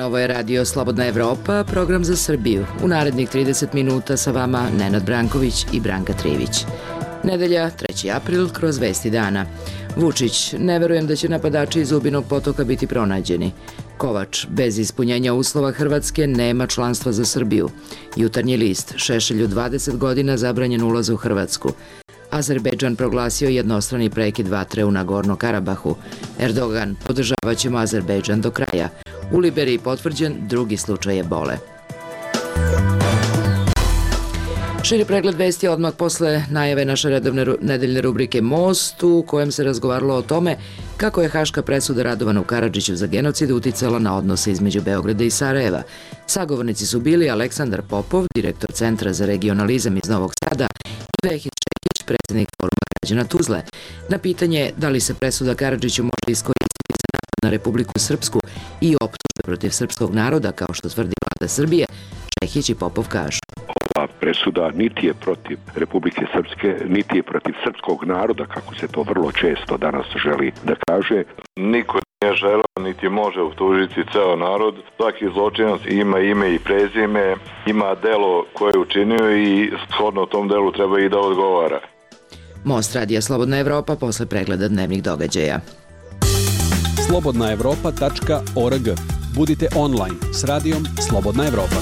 ovo je Radio Slobodna Evropa, program za Srbiju. U narednih 30 minuta sa vama Nenad Branković i Branka Trivić. Nedelja, 3. april, kroz vesti dana. Vučić, ne verujem da će napadači iz Zubinog Potoka biti pronađeni. Kovač, bez ispunjenja uslova Hrvatske nema članstva za Srbiju. Jutarnji list, Šešelju 20 godina zabranjen ulaz u Hrvatsku. Azerbejdžan proglasio jednostrani prekid vatre u Nagorno Karabahu. Erdogan, podržavat ćemo Azerbejdžan do kraja. U Liberiji potvrđen drugi slučaj ebole. Širi pregled vesti odmah posle najave naše redovne nedeljne rubrike Most, u kojem se razgovaralo o tome kako je haška presuda Radovanu Karadžiću za genocid uticala na odnose između Beograda i Sarajeva. Sagovornici su bili Aleksandar Popov, direktor Centra za regionalizam iz Novog Sada, i Vehid Šekić, predsjednik Foruma građana Tuzle. Na pitanje da li se presuda Karadžiću može iskoristiti za napad na Republiku Srpsku i optužbe protiv srpskog naroda, kao što tvrdi vlada Srbije, Šekić i Popov kažu: ova presuda niti je protiv Republike Srpske, niti je protiv srpskog naroda, kako se to vrlo često danas želi da kaže. Niko nije želeo, niti može optužiti ceo narod. Svaki zločinac ima ime i prezime, ima delo koje je učinio i shodno tom delu treba i da odgovara. Most radija Slobodna Evropa posle pregleda dnevnih događaja. slobodnaevropa.org. Budite online s radijom Slobodna Evropa.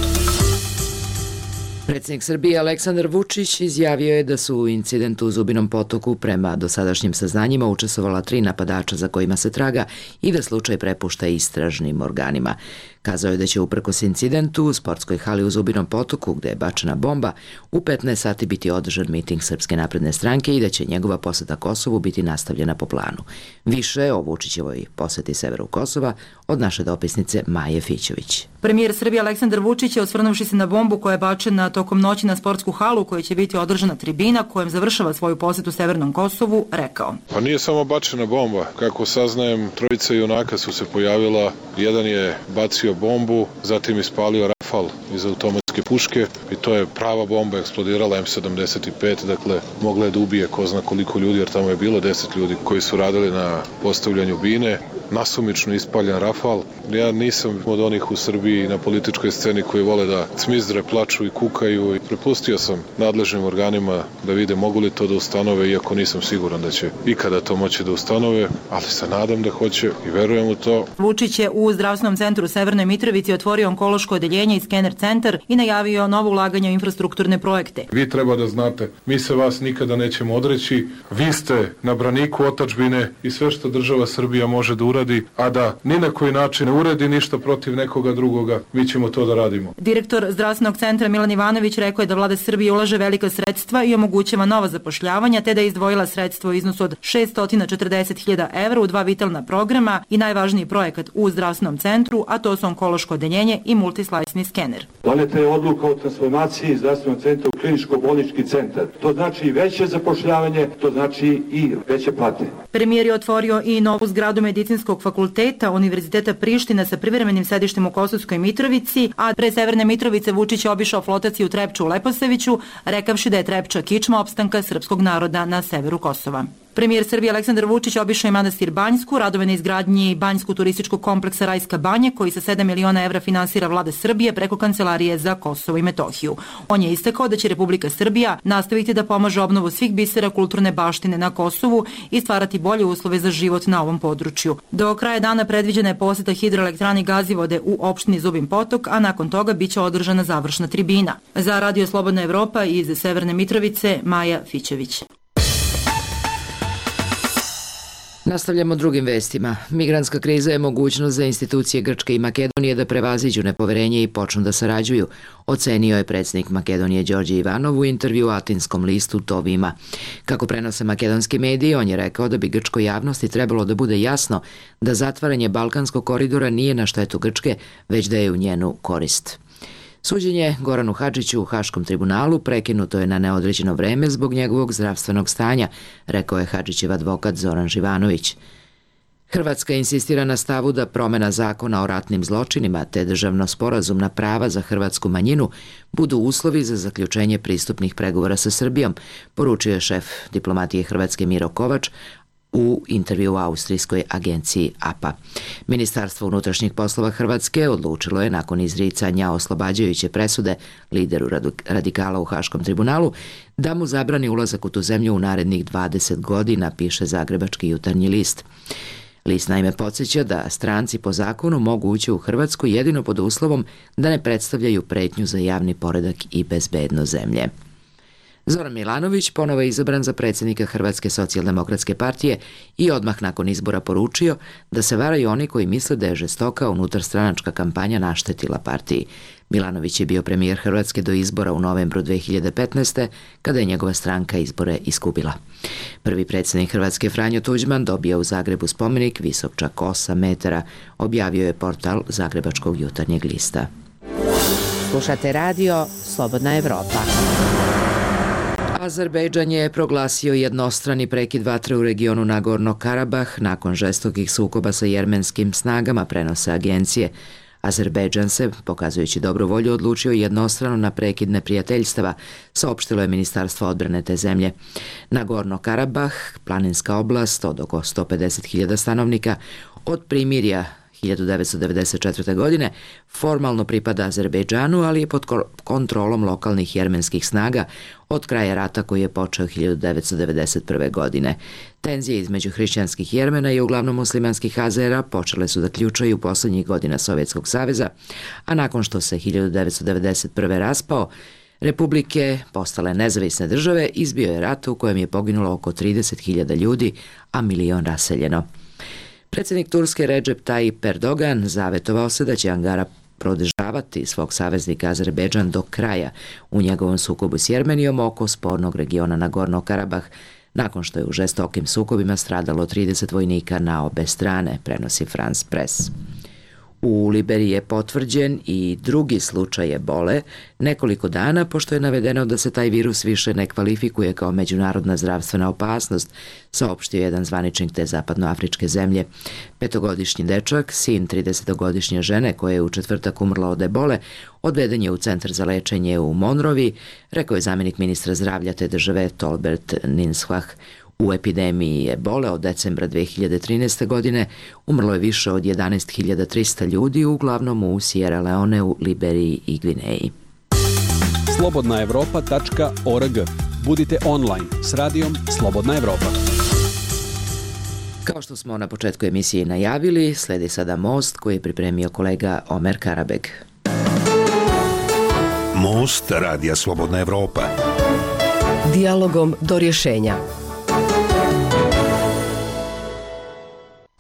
Predsjednik Srbije Aleksandar Vučić izjavio je da su u incidentu u Zubinom Potoku prema dosadašnjim saznanjima učestvovala 3 napadača za kojima se traga i da slučaj prepušta istražnim organima. Kazao je da će uprkos incidentu u sportskoj hali u Zubinom Potoku, gde je bačena bomba, u 15 sati biti održan miting Srpske napredne stranke i da će njegova poseta Kosovu biti nastavljena po planu. Više o Vučićevoj poseti severu Kosova od naše dopisnice Maje Fićović. Premijer Srbije Aleksandar Vučić je, osvrnuvši se na bombu koja je bačena tokom noći na sportsku halu u kojoj će biti održana tribina kojem završava svoju posetu severnom Kosovu, rekao: Pa nije samo bačena bomba. Kako saznajem, 3 junaka su se pojavila. Jedan je bacio bombu, zatim ispalio rafal iz automatske puške i to je prava bomba, eksplodirala M75, dakle mogla je da ubije ko zna koliko ljudi, jer tamo je bilo 10 ljudi koji su radili na postavljanju bine. Nasumično ispaljen rafal. Ja nisam od onih u Srbiji na političkoj sceni koji vole da cmizdre, plaču i kukaju. Prepustio sam nadležnim organima da vide mogu li to da ustanove, iako nisam siguran da će ikada to moći da ustanove, ali se nadam da hoće i verujem u to. Vučić je u zdravstvenom centru u Severnoj Mitrovici otvorio onkološko odeljenje i skener centar i najavio novo ulaganje u infrastrukturne projekte. Vi treba da znate, mi se vas nikada nećemo odreći. Vi ste na braniku otadžbine i sve što država Srbija može da uradi, a da ni na koji način ne uredi ništa protiv nekoga drugoga, mi ćemo to da radimo. Direktor zdravstvenog centra Milan Ivanović rekao je da vlada Srbije ulaže velika sredstva i omogućava nova zapošljavanja, te da je izdvojila sredstvo u iznosu od 640.000 evra u 2 vitalna programa i najvažniji projekat u zdravstvenom centru, a to su onkološko odeljenje i multislajsni skener. Doneta je odluka o transformaciji zdravstvenog centra u kliničko-bolnički centar. To znači veće zapošljavanje, to znači i veće plate. Premijer je otvorio i novu zgradu Medicinskog fakulteta Univerziteta Priština sa privremenim sedištem u Kosovskoj Mitrovici, a pre Severne Mitrovice Vučić je obišao flotaciju Trepču u Leposaviću, rekavši da je Trepča kičma opstanka srpskog naroda na severu Kosova. Premijer Srbije Aleksandar Vučić obišao je manastir Banjsku, radove na izgradnji banjskog turističkog kompleksa Rajska banja, koji sa 7 miliona evra finansira vlada Srbije preko Kancelarije za Kosovo i Metohiju. On je istakao da će Republika Srbija nastaviti da pomaže obnovu svih bisera kulturne baštine na Kosovu i stvarati bolje uslove za život na ovom području. Do kraja dana predviđena je poseta hidroelektrani Gazivode u opštini Zubin Potok, a nakon toga biće održana završna tribina. Za Radio Slobodna Evropa iz Severne Mitrovice, Maja Fićević. Nastavljamo drugim vestima. Migrantska kriza je mogućnost za institucije Grčke i Makedonije da prevaziđu nepoverenje i počnu da sarađuju, ocenio je predsjednik Makedonije Đorđe Ivanov u intervju Atinskom listu Tovima. Kako prenose makedonski mediji, on je rekao da bi grčkoj javnosti trebalo da bude jasno da zatvaranje Balkanskog koridora nije na štetu Grčke, već da je u njenu korist. Suđenje Goranu Hadžiću u Haškom tribunalu prekinuto je na neodređeno vreme zbog njegovog zdravstvenog stanja, rekao je Hadžićev advokat Zoran Živanović. Hrvatska insistira na stavu da promena zakona o ratnim zločinima te državno sporazumna prava za hrvatsku manjinu budu uslovi za zaključenje pristupnih pregovora sa Srbijom, poručio je šef diplomatije Hrvatske Miro Kovač, u intervju u austrijskoj agenciji APA. Ministarstvo unutrašnjih poslova Hrvatske odlučilo je nakon izricanja oslobađajuće presude lideru radikala u Haškom tribunalu da mu zabrani ulazak u tu zemlju u narednih 20 godina, piše Zagrebački jutarnji list. List naime podsjeća da stranci po zakonu mogu ući u Hrvatsku jedino pod uslovom da ne predstavljaju pretnju za javni poredak i bezbednost zemlje. Zoran Milanović ponovo je izabran za predsjednika Hrvatske socijaldemokratske partije i odmah nakon izbora poručio da se varaju oni koji misle da je žestoka unutarstranačka kampanja naštetila partiji. Milanović je bio premijer Hrvatske do izbora u novembru 2015. kada je njegova stranka izbore izgubila. Prvi predsjednik Hrvatske Franjo Tuđman dobio u Zagrebu spomenik visok čak 8 metara, objavio je portal Zagrebačkog jutarnjeg lista. Slušate radio Slobodna Evropa. Azerbejdžan je proglasio jednostrani prekid vatre u regionu Nagorno-Karabah nakon žestokih sukoba sa jermenskim snagama, prenose agencije. Azerbejdžan se, pokazujući dobru volju, odlučio jednostrano na prekid neprijateljstava, saopštilo je Ministarstvo odbrane te zemlje. Nagorno-Karabah, planinska oblast od oko 150.000 stanovnika, od primirja 1994. godine formalno pripada Azerbejdžanu, ali je pod kontrolom lokalnih jermenskih snaga od kraja rata koji je počeo 1991. godine. Tenzije između hrišćanskih Jermena i uglavnom muslimanskih Azera počele su da ključaju posljednjih godina Sovjetskog saveza, a nakon što se 1991. raspao, republike postale nezavisne države, izbio je rat u kojem je poginulo oko 30.000 ljudi, a milion raseljeno. Predsjednik Turske Recep Tayyip Erdogan zavetovao se da će Ankara podržavati svog saveznika Azerbejdžan do kraja u njegovom sukobu s Jermenijom oko spornog regiona Nagorno-Karabah, nakon što je u žestokim sukobima stradalo 30 vojnika na obe strane, prenosi France Press. U Liberiji je potvrđen i drugi slučaj ebole nekoliko dana, pošto je navedeno da se taj virus više ne kvalifikuje kao međunarodna zdravstvena opasnost, saopštio jedan zvaničnik te zapadnoafričke zemlje. 5-godišnji dečak, sin 30-godišnje žene koja je u četvrtak umrla od ebole, odveden je u centar za lečenje u Monrovi, rekao je zamjenik ministra zdravlja te države Tolbert Ninshah. U epidemiji ebole od decembra 2013. godine umrlo je više od 11.300 ljudi, uglavnom u Sierra Leoneu, Liberiji i Gvineji. slobodnaevropa.org. Budite online s radijom Slobodna Evropa. Kao što smo na početku emisije najavili, sledi sada Most koji je pripremio kolega Omer Karabeg. Most radija Slobodna Evropa. Dijalogom do rješenja.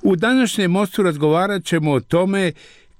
U današnjem Mostu razgovarat ćemo o tome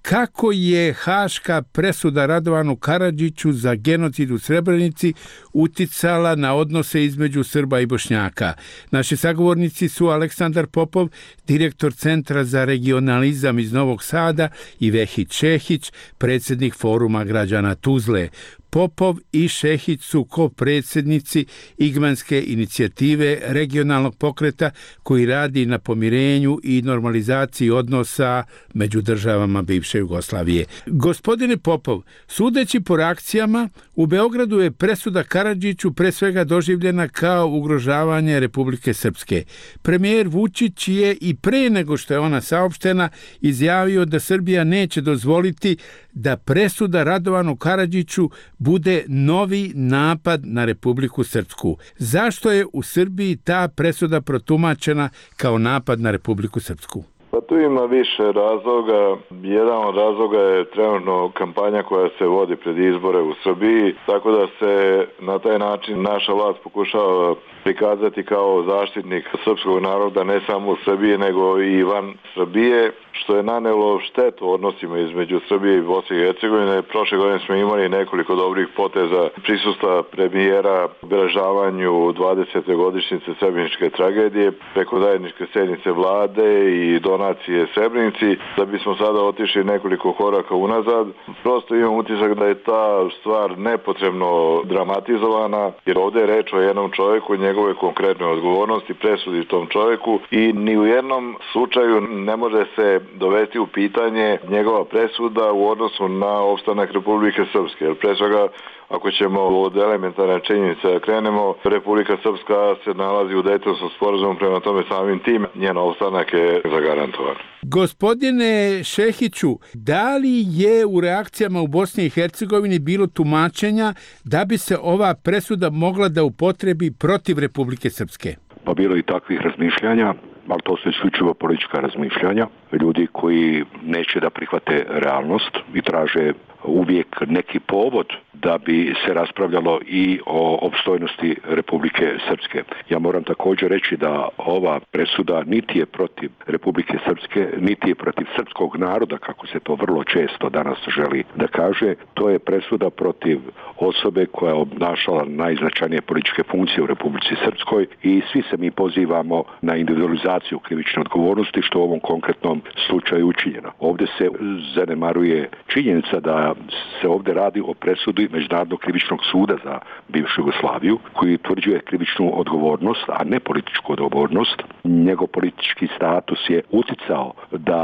kako je haška presuda Radovanu Karadžiću za genocid u Srebrenici uticala na odnose između Srba i Bošnjaka. Naši sagovornici su Aleksandar Popov, direktor Centra za regionalizam iz Novog Sada, i Vehid Šehić, predsjednik Foruma građana Tuzle. Popov i Šehić su ko-predsjednici Igmanske inicijative regionalnog pokreta koji radi na pomirenju i normalizaciji odnosa među državama bivše Jugoslavije. Gospodine Popov, sudeći po reakcijama, u Beogradu je presuda Karadžiću pre svega doživljena kao ugrožavanje Republike Srpske. Premijer Vučić je i pre nego što je ona saopštena izjavio da Srbija neće dozvoliti da presuda Radovanu Karadžiću bude novi napad na Republiku Srpsku. Zašto je u Srbiji ta presuda protumačena kao napad na Republiku Srpsku? Pa tu ima više razloga. Jedan od razloga je trenutno kampanja koja se vodi pred izbore u Srbiji, tako da se na taj način naša vlast pokušava prikazati kao zaštitnik srpskog naroda ne samo u Srbiji nego i van Srbije, što je nanelo štetu odnosima između Srbije i Bosne i Hercegovine. Prošle godine smo imali nekoliko dobrih poteza prisustva premijera u obeležavanju 20. godišnjice Srebreničke tragedije preko zajedničke sjednice vlade i Donalda donacije Srebrenici, da bismo sada otišli nekoliko koraka unazad. Prosto imam utisak da je ta stvar nepotrebno dramatizovana, jer ovdje je reč o jednom čovjeku, njegove konkretne odgovornosti, presudi tom čovjeku i ni u jednom slučaju ne može se dovesti u pitanje njegova presuda u odnosu na opstanak Republike Srpske. Jer pre svega, ako ćemo od elementarne činjenice da krenemo, Republika Srpska se nalazi u Dejtonskom sporazumu, prema tome samim tim njen opstanak je zagarantovan. Gospodine Šehiću, da li je u reakcijama u Bosni i Hercegovini bilo tumačenja da bi se ova presuda mogla da upotrebi protiv Republike Srpske? Pa bilo i takvih razmišljanja, ali to su isključivo politička razmišljanja. Ljudi koji neće da prihvate realnost i traže uvijek neki povod da bi se raspravljalo i o opstojnosti Republike Srpske. Ja moram također reći da ova presuda niti je protiv Republike Srpske, niti je protiv srpskog naroda, kako se to vrlo često danas želi da kaže. To je presuda protiv osobe koja je obnašala najznačajnije političke funkcije u Republici Srpskoj i svi se mi pozivamo na individualizaciju krivične odgovornosti, što u ovom konkretnom slučaju učinjeno. Ovdje se zanemaruje činjenica da se ovdje radi o presudi Međunarodnog krivičnog suda za bivšu Jugoslaviju, koji utvrđuje krivičnu odgovornost, a ne političku odgovornost. Njegov politički status je uticao da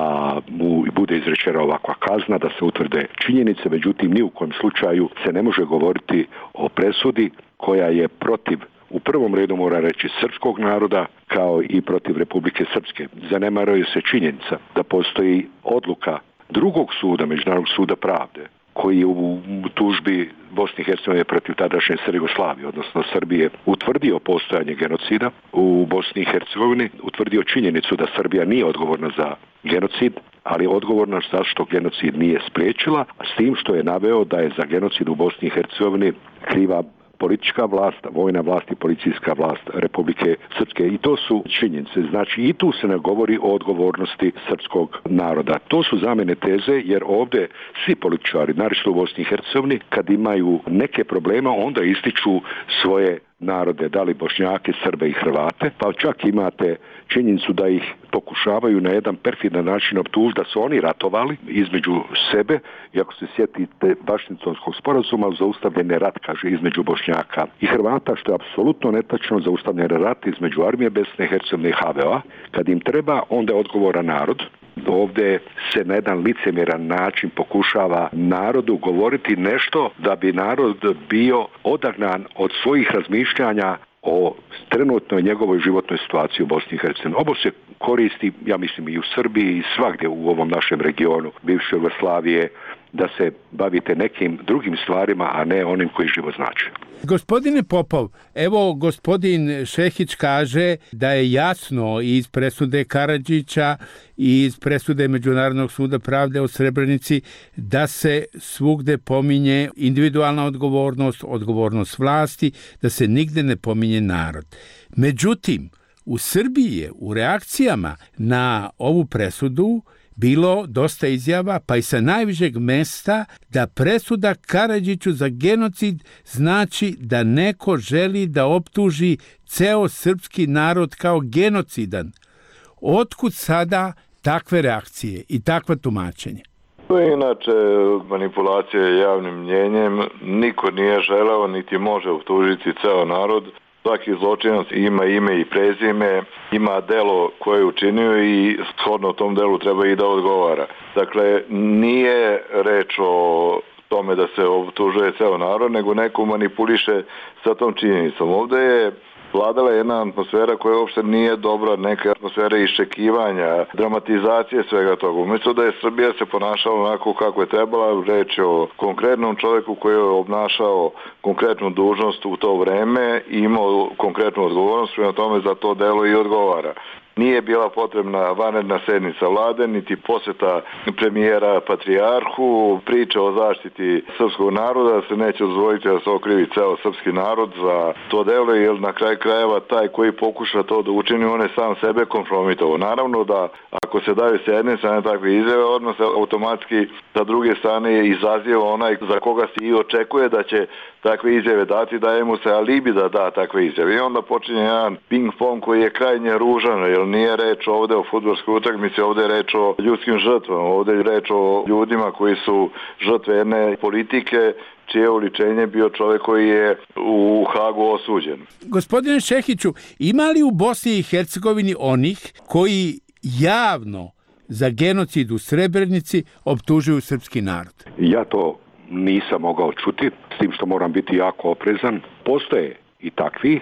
mu bude izrečena ovakva kazna, da se utvrde činjenice, međutim ni u kojem slučaju se ne može govoriti o presudi koja je protiv, u prvom redu mora reći, srpskog naroda, kao i protiv Republike Srpske. Zanemaruje se činjenica da postoji odluka drugog suda, Međunarodnog suda pravde, koji je u tužbi Bosne i Hercegovine protiv tadašnje Jugoslavije, odnosno Srbije, utvrdio postojanje genocida u Bosni i Hercegovini, utvrdio činjenicu da Srbija nije odgovorna za genocid, ali je odgovorna zašto genocid nije spriječila, s tim što je naveo da je za genocid u Bosni i Hercegovini kriva politička vlast, vojna vlast i policijska vlast Republike Srpske. I to su činjenice. Znači i tu se ne govori o odgovornosti srpskog naroda. To su za mene teze, jer ovdje svi političari, naročito u Bosni i Hercegovini, kad imaju neke problema, onda ističu svoje narode, da li Bošnjake, Srbe i Hrvate, pa čak imate činjenicu da ih pokušavaju na jedan perfidan način optužiti da su oni ratovali između sebe, i ako se sjetite Vašingtonskog sporazuma, zaustavljen je rat, kaže, između Bošnjaka i Hrvata, što je apsolutno netačno. Zaustavljen je rat između armije Bosne i Hercegovine i HVO. Kad im treba, onda je odgovoran narod. Ovdje se na jedan licemjeran način pokušava narodu govoriti nešto da bi narod bio odagnan od svojih razmišljanja o trenutnoj njegovoj životnoj situaciji u Bosni i Hercegovini. Ovo se koristi, ja mislim, i u Srbiji i svagdje u ovom našem regionu bivše Jugoslavije, da se bavite nekim drugim stvarima, a ne onim koji život znači. Gospodine Popov, evo gospodin Šehić kaže da je jasno iz presude Karadžića i iz presude Međunarodnog suda pravde o Srebrenici da se svugde pominje individualna odgovornost, odgovornost vlasti, da se nigde ne pominje narod. Međutim, u Srbiji je u reakcijama na ovu presudu bilo dosta izjava, pa i sa najvišeg mesta, da presuda Karadžiću za genocid znači da neko želi da optuži ceo srpski narod kao genocidan. Otkud sada takve reakcije i takva tumačenje? To je inače manipulacija javnim mnjenjem. Niko nije želeo niti može optužiti ceo narod. Svaki zločinac ima ime i prezime, ima delo koje je učinio i shodno tom delu treba i da odgovara. Dakle, nije reč o tome da se optužuje ceo narod, nego neko manipuliše sa tom činjenicom. Ovdje je vladala jedna atmosfera koja uopšte nije dobra, neka atmosfera iščekivanja, dramatizacije svega toga. Umjesto da je Srbija se ponašala onako kako je trebala, reč je o konkretnom čovjeku koji je obnašao konkretnu dužnost u to vreme i imao konkretnu odgovornost, prema tome za to delo i odgovara. Nije bila potrebna vanredna sednica vlade, niti posjeta premijera patrijarhu, priča o zaštiti srpskog naroda, da se neće dozvoliti da se okrivi ceo srpski narod za to delo, jer na kraju krajeva taj koji pokuša to da učini, on je sam sebe kompromitovao. Naravno da ako se daju s jedne strane takve izjave, odmah se automatski sa druge strane izaziva onaj za koga se i očekuje da će takve izjave dati, daje mu se alibi da da takve izjave. I onda počinje jedan ping-pong koji je krajnje ružan, jer nije reč ovde o fudbalskoj utakmici, ovde je reč o ljudskim žrtvama, ovde je reč o ljudima koji su žrtve jedne politike čije uličenje bio čovjek koji je u Hagu osuđen. Gospodine Šehiću, ima li u Bosni i Hercegovini onih koji javno za genocid u Srebrenici optužuju srpski narod? Ja to nisam mogao čuti, s tim što moram biti jako oprezan. Postoje i takvi,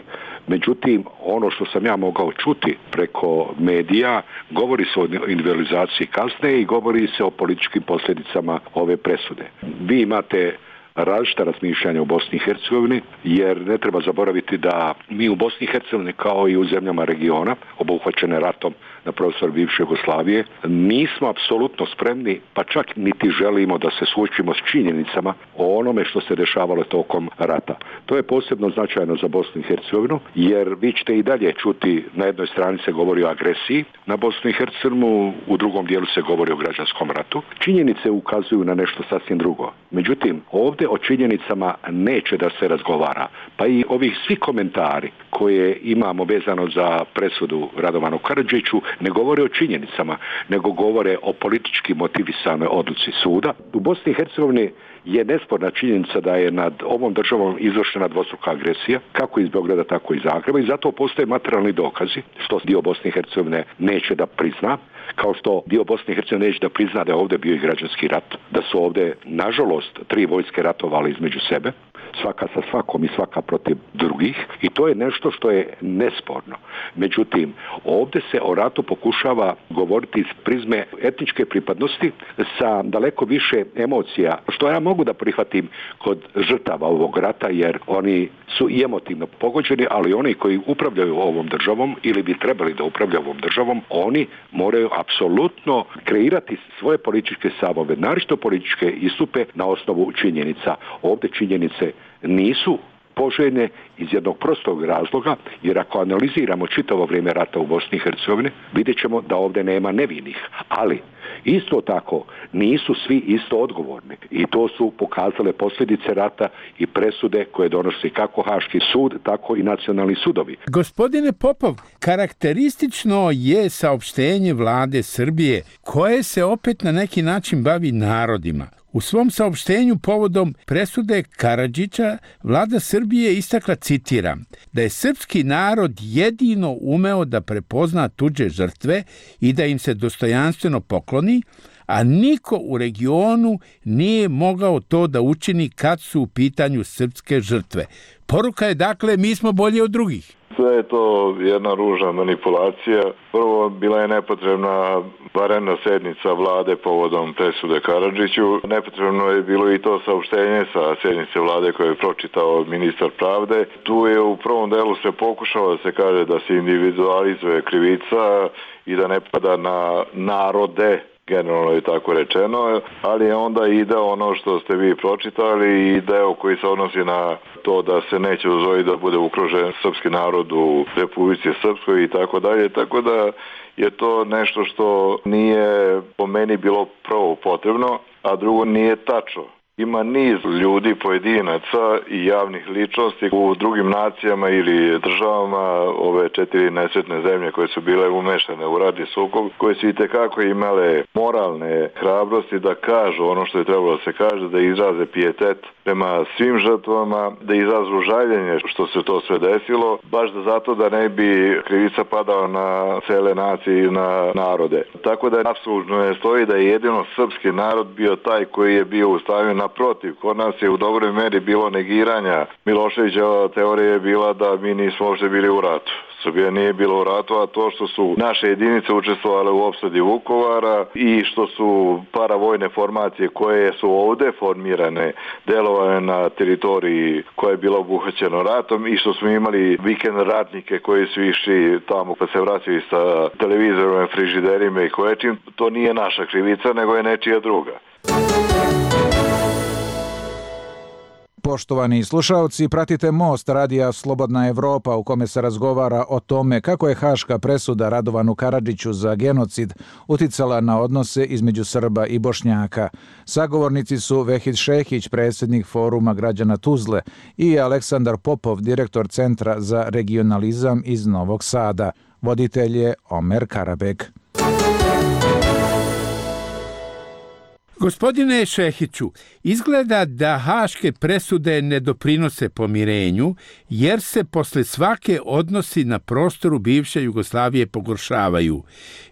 međutim, ono što sam ja mogao čuti preko medija, govori se o individualizaciji kazne i govori se o političkim posljedicama ove presude. Vi imate različita razmišljanja u Bosni i Hercegovini, jer ne treba zaboraviti da mi u Bosni i Hercegovini, kao i u zemljama regiona, obuhvaćene ratom na prostoru bivše Jugoslavije, nismo apsolutno spremni, pa čak niti želimo da se suočimo s činjenicama o onome što se dešavalo tokom rata. To je posebno značajno za Bosnu i Hercegovinu, jer vi ćete i dalje čuti, na jednoj strani se govori o agresiji na Bosnu i Hercegovinu, u drugom dijelu se govori o građanskom ratu. Činjenice ukazuju na nešto sasvim drugo. Međutim, ovdje o činjenicama neće da se razgovara. Pa i ovih svi komentari koje imamo vezano za presudu Radovanu Karadžiću ne govore o činjenicama, nego govore o politički motivisanoj odluci suda. U Bosni i Hercegovini je nesporna činjenica da je nad ovom državom izvršena dvostruka agresija, kako iz Beograda, tako i Zagreba, i zato postoje materijalni dokazi, što dio Bosne i Hercegovine neće da prizna, kao što dio Bosne i Hercegovine neće da prizna da je ovdje bio i građanski rat, da su ovdje, nažalost, 3 vojske ratovali između sebe, svaka sa svakom i svaka protiv drugih, i to je nešto što je nesporno. Međutim, ovdje se o ratu pokušava govoriti iz prizme etničke pripadnosti sa daleko više emocija, što ja mogu da prihvatim kod žrtava ovog rata, jer oni su i emotivno pogođeni, ali oni koji upravljaju ovom državom ili bi trebali da upravljaju ovom državom, oni moraju apsolutno kreirati svoje političke stavove, naročito političke istupe na osnovu činjenica. Ovdje činjenice nisu poželjne iz jednog prostog razloga, jer ako analiziramo čitavo vrijeme rata u Bosni i Hercegovini, vidjet ćemo da ovdje nema nevinih. Ali isto tako nisu svi isto odgovorni, i to su pokazale posljedice rata i presude koje donosi kako Haški sud, tako i nacionalni sudovi. Gospodine Popov, karakteristično je saopštenje vlade Srbije, koje se opet na neki način bavi narodima. U svom saopštenju povodom presude Karadžića vlada Srbije istakla, citiram, da je srpski narod jedino umeo da prepozna tuđe žrtve i da im se dostojanstveno pokloni, a niko u regionu nije mogao to da učini kad su u pitanju srpske žrtve. Poruka je dakle, mi smo bolji od drugih. Sve je to jedna ružna manipulacija. Prvo, bila je nepotrebna vanredna sednica vlade povodom presude Karadžiću. Nepotrebno je bilo i to saopštenje sa sednice vlade koje je pročitao ministar pravde. Tu je u prvom delu se pokušao da se kaže da se individualizuje krivica i da ne pada na narode, generalno je tako rečeno, ali je onda ide ono što ste vi pročitali i deo koji se odnosi na to da se neće dozvoliti da bude ugrožen srpski narod u Republici Srpskoj i tako dalje, tako da je to nešto što nije po meni bilo prvo potrebno, a drugo nije tačno. Ima niz ljudi, pojedinaca i javnih ličnosti u drugim nacijama ili državama, ove 4 nesretne zemlje koje su bile umešane u ratni sukob, koje su itekako imale moralne hrabrosti da kažu ono što je trebalo da se kaže, da izraze pijetet prema svim žrtvama, da izrazu žaljenje što se to sve desilo, baš da zato da ne bi krivica padala na cele nacije i na narode. Tako da apsolutno ne stoji da je jedino srpski narod bio taj koji je bio u stanju. Naprotiv, kod nas je u dobroj meri bilo negiranja. Miloševićeva teorija je bila da mi nismo uopšte bili u ratu. Srbija nije bila u ratu, a to što su naše jedinice učestvovale u opsadi Vukovara i što su paravojne formacije koje su ovde formirane delovane na teritoriji koja je bila obuhvaćena ratom i što smo imali vikend ratnike koji su išli tamo pa se vraćali sa televizorima, frižiderima i koječim, to nije naša krivica, nego je nečija druga. Poštovani slušaoci, pratite Most radija Slobodna Evropa u kome se razgovara o tome kako je haška presuda Radovanu Karadžiću za genocid uticala na odnose između Srba i Bošnjaka. Sagovornici su Vehid Šehić, predsjednik Foruma građana Tuzle, i Aleksandar Popov, direktor Centra za regionalizam iz Novog Sada. Voditelj je Omer Karabek. Gospodine Šehiću, izgleda da haške presude ne doprinose pomirenju, jer se posle svake odnosi na prostoru bivše Jugoslavije pogoršavaju.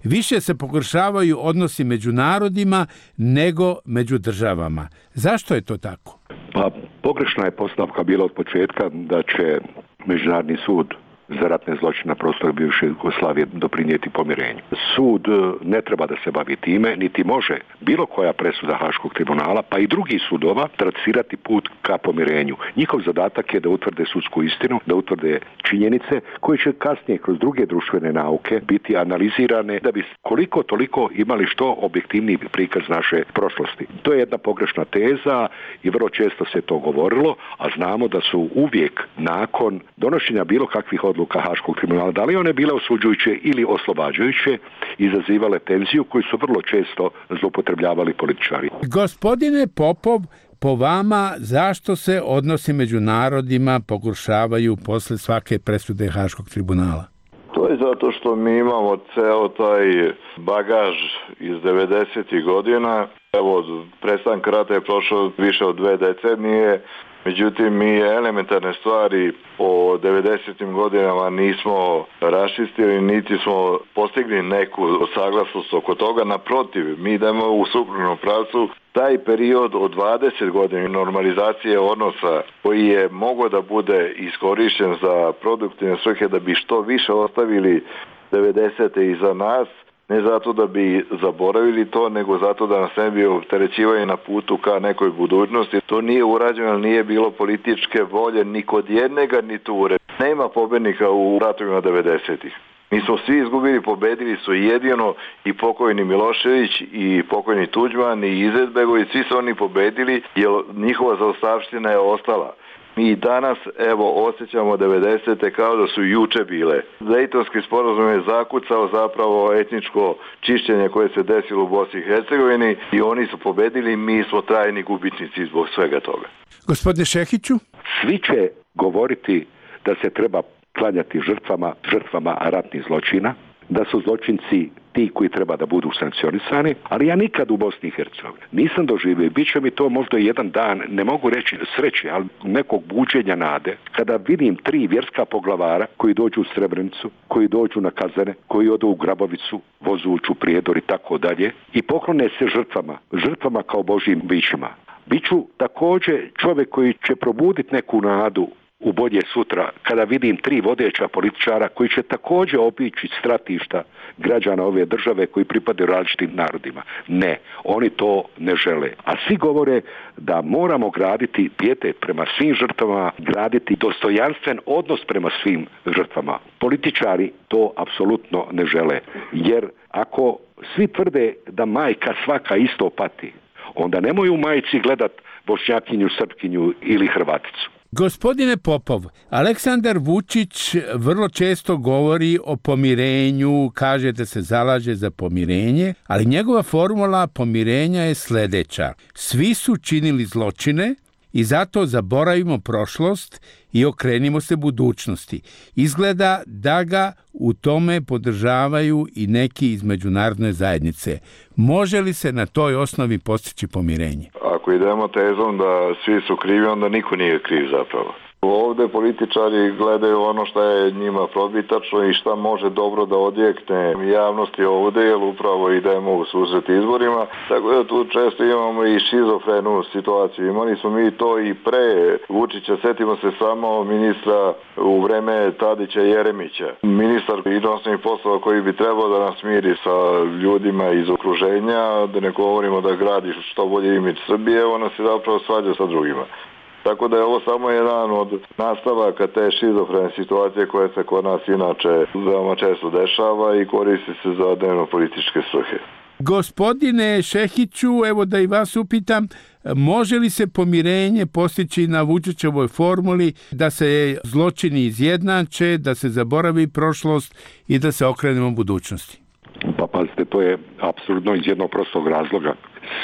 Više se pogoršavaju odnosi među narodima nego među državama. Zašto je to tako? Pa pogrešna je postavka bila od početka da će Međunarodni sud za ratne zločine na prostoru bivše Jugoslavije doprinijeti pomirenju. Sud ne treba da se bavi time, niti može bilo koja presuda Haškog tribunala, pa i drugih sudova, trasirati put ka pomirenju. Njihov zadatak je da utvrde sudsku istinu, da utvrde činjenice koje će kasnije kroz druge društvene nauke biti analizirane da bi koliko toliko imali što objektivniji prikaz naše prošlosti. To je jedna pogrešna teza i vrlo često se to govorilo, a znamo da su uvijek nakon donošenja bilo kakvih odluka Haškog tribunala, da li one bile osuđujuće ili oslobađajuće, izazivale tenziju koju su vrlo često zloupotrebljavali političari. Gospodine Popov, po vama zašto se odnosi među narodima pogoršavaju posle svake presude Haškog tribunala? To je zato što mi imamo ceo taj bagaž iz 90. godina. Evo, od prestanka rata je prošlo više od 2 decenije. Međutim, mi elementarne stvari o 90. godinama nismo raščistili, niti smo postigli neku saglasnost oko toga. Naprotiv, mi idemo u suprotnom pravcu. Taj period od 20 godina normalizacije odnosa koji je mogao da bude iskorišten za produktivne svrhe da bi što više ostavili 90. iza nas, ne zato da bi zaboravili to, nego zato da nas ne bi opterećivali na putu ka nekoj budućnosti. To nije urađeno, ali nije bilo političke volje ni kod jednega, ni ture. Nema pobednika u ratovima 90-ih. Mi smo svi izgubili, pobedili su jedino i pokojni Milošević i pokojni Tuđman i Izetbegović, svi su oni pobedili jer njihova zaostavština je ostala. Mi danas, evo, osjećamo 90. kao da su juče bile. Dejtonski sporazum je zakucao zapravo etničko čišćenje koje se desilo u Bosni i Hercegovini i oni su pobedili, mi smo trajni gubitnici zbog svega toga. Gospodine Šehiću? Svi će govoriti da se treba klanjati žrtvama ratnih zločina, da su zločinci ti koji treba da budu sankcionisani, ali ja nikad u Bosni i Hercegovini nisam doživio, bit će mi to možda jedan dan, ne mogu reći sreće, ali nekog buđenja nade, kada vidim 3 vjerska poglavara koji dođu u Srebrenicu, koji dođu na Kazane, koji odu u Grabovicu, Vozuću, Prijedor i tako dalje i poklone se žrtvama kao Božjim bićima. Biću također čovjek koji će probuditi neku nadu u bolje sutra, kada vidim 3 vodeća političara koji će također obići stratišta građana ove države koji pripadaju različitim narodima. Ne, oni to ne žele. A svi govore da moramo graditi pijetet prema svim žrtvama, graditi dostojanstven odnos prema svim žrtvama. Političari to apsolutno ne žele. Jer ako svi tvrde da majka svaka isto pati, onda nemoj u majici gledat Bošnjakinju, Srpkinju ili Hrvaticu. Gospodine Popov, Aleksandar Vučić vrlo često govori o pomirenju, kaže da se zalaže za pomirenje, ali njegova formula pomirenja je sljedeća. Svi su činili zločine i zato zaboravimo prošlost i okrenimo se budućnosti. Izgleda da ga u tome podržavaju i neki iz međunarodne zajednice. Može li se na toj osnovi postići pomirenje? Ako idemo tezom da svi su krivi, onda niko nije kriv zapravo. Ovde političari gledaju ono što je njima probitačno i šta može dobro da odjekne javnosti ovde, jer upravo idemo u susret izborima. Tako da tu često imamo i šizofrenu situaciju. Imali smo mi to i pre Vučića, setimo se samo ministra u vreme Tadića i Jeremića. Ministar inostranih poslova koji bi trebao da nas miri sa ljudima iz okruženja, da ne govorimo da gradi što bolje imidž Srbije, ona se zapravo svađa sa drugima. Tako da je ovo samo jedan od nastavaka te šizofrene situacije koje se kod nas inače veoma često dešava i koristi se za dnevno političke svrhe. Gospodine Šehiću, evo da i vas upitam, može li se pomirenje postići na Vučićevoj formuli da se zločini izjednače, da se zaboravi prošlost i da se okrenemo budućnosti? Pa pazite, to je apsurdno iz jednog prostog razloga.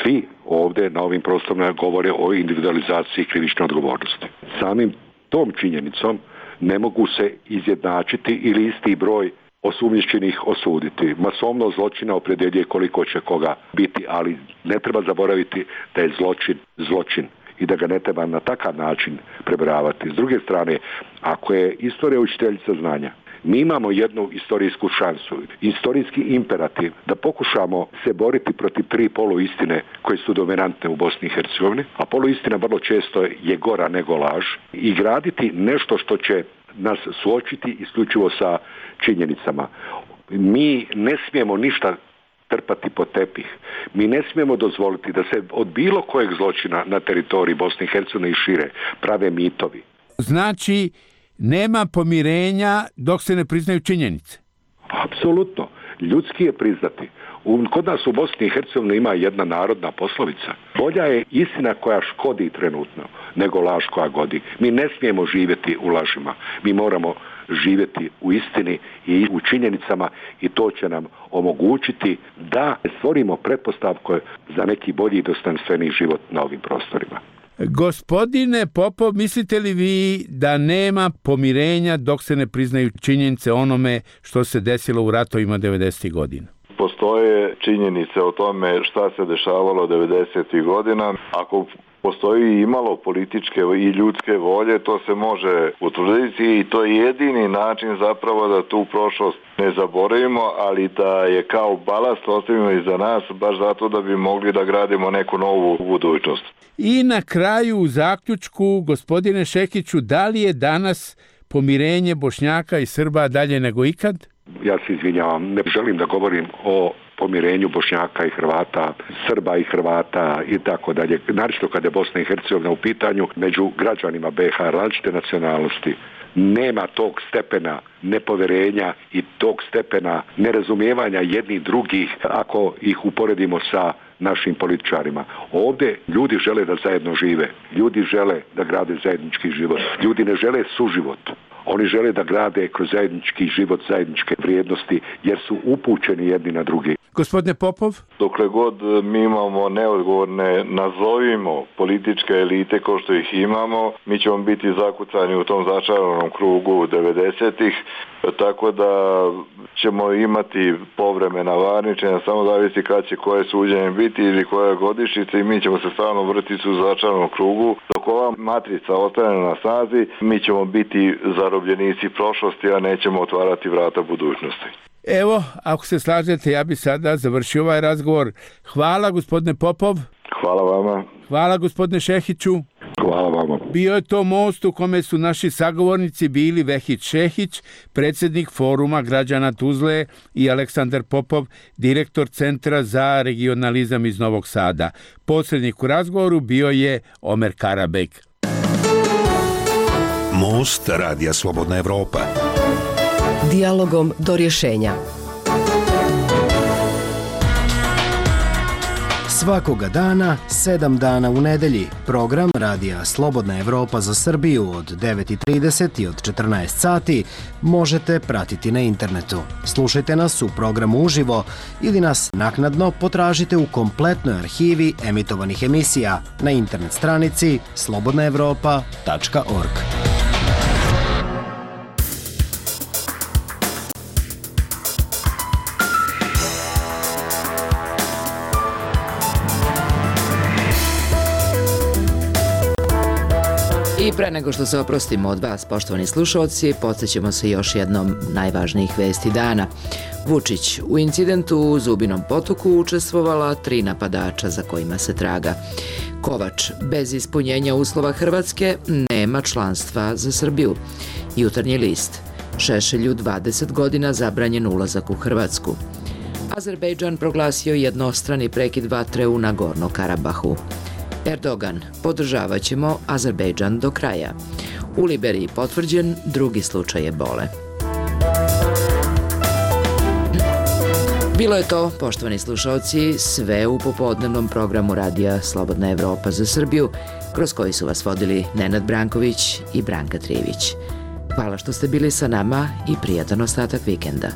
Svi ovdje na ovim prostorima govore o individualizaciji krivične odgovornosti. Samim tom činjenicom ne mogu se izjednačiti ili isti broj osumnjičenih osuditi. Masovnost zločina opredjeljuje koliko će koga biti, ali ne treba zaboraviti da je zločin i da ga ne treba na takav način prebrojavati. S druge strane, ako je istorija učiteljica znanja, mi imamo jednu istorijsku šansu, istorijski imperativ da pokušamo se boriti protiv 3 poluistine koje su dominantne u Bosni i Hercegovini, a poluistina vrlo često je gora nego laž, i graditi nešto što će nas suočiti isključivo sa činjenicama. Mi ne smijemo ništa trpati pod tepih. Mi ne smijemo dozvoliti da se od bilo kojeg zločina na teritoriji Bosne i Hercegovine i šire prave mitovi. Znači, nema pomirenja dok se ne priznaju činjenice? Apsolutno. Ljudski je priznati. Kod nas u Bosni i Hercegovini ima jedna narodna poslovica. Bolja je istina koja škodi trenutno nego laž koja godi. Mi ne smijemo živjeti u lažima. Mi moramo živjeti u istini i u činjenicama, i to će nam omogućiti da stvorimo pretpostavke za neki bolji i dostojanstveniji život na ovim prostorima. Gospodine Popov, mislite li vi da nema pomirenja dok se ne priznaju činjenice onome što se desilo u ratovima 90. godina? Postoje činjenice o tome šta se dešavalo 90. godina. Ako postoji imalo političke i ljudske volje, to se može utvrditi i to je jedini način zapravo da tu prošlost ne zaboravimo, ali da je kao balast ostavimo iza nas, baš zato da bi mogli da gradimo neku novu budućnost. I na kraju u zaključku, gospodine Šekiću, da li je danas pomirenje Bošnjaka i Srba dalje nego ikad? Ja se izvinjavam, ne želim da govorim o pomirenju Bošnjaka i Hrvata, Srba i Hrvata i tako dalje. Naročito kada je Bosna i Hercegovina u pitanju, među građanima BiH različite nacionalnosti. Nema tog stepena nepoverenja i tog stepena nerazumijevanja jednih drugih ako ih uporedimo sa našim političarima. Ovdje ljudi žele da zajedno žive, ljudi žele da grade zajednički život, ljudi ne žele suživot. Oni žele da grade kroz zajednički život, zajedničke vrijednosti, jer su upućeni jedni na drugi. Gospodine Popov? Dokle god mi imamo neodgovorne, nazovimo, političke elite kao što ih imamo, mi ćemo biti zakucani u tom začaranom krugu 90-ih, tako da ćemo imati povremena varničenja, samo zavisi kad će koje suđenje biti ili koja godišnjica, i mi ćemo se stalno vrtiti u začaranom krugu. Dok ova matrica ostane na snazi, mi ćemo biti zarobljenici prošlosti, a nećemo otvarati vrata budućnosti. Evo, ako se slažete, ja bi sada završio ovaj razgovor. Hvala, gospodine Popov. Hvala vama. Hvala, gospodine Šehiću. Hvala vama. Bio je to most u kome su naši sagovornici bili Vehid Šehić, predsjednik Foruma građana Tuzle, i Aleksandar Popov, direktor Centra za regionalizam iz Novog Sada. Posrednik u razgovoru bio je Omer Karabek. Most Radija Slobodna Evropa. Dijalogom do rješenja. Svakoga dana, 7 dana u nedelji, program Radija Slobodna Evropa za Srbiju od 9:30 i od 14 sati možete pratiti na internetu. Slušajte nas u programu uživo ili nas naknadno potražite u kompletnoj arhivi emitovanih emisija na internet stranici slobodnaevropa.org. I pre nego što se oprostimo od vas, poštovani slušalci, podsjećamo se još jednom najvažnijih vesti dana. Vučić: u incidentu u Zubinom Potoku učestvovala 3 napadača za kojima se traga. Kovač: bez ispunjenja uslova Hrvatske nema članstva za Srbiju. Jutarnji list: Šešelju 20 godina zabranjen ulazak u Hrvatsku. Azerbejdžan proglasio jednostrani prekid vatre u Nagorno-Karabahu. Erdogan: podržavat ćemo Azerbejdžan do kraja. U Liberiji potvrđen 2. slučaj ebole. Bilo je to, poštovani slušalci, sve u popodnevnom programu Radija Slobodna Evropa za Srbiju, kroz koji su vas vodili Nenad Branković i Branka Trijević. Hvala što ste bili sa nama i prijatan ostatak vikenda.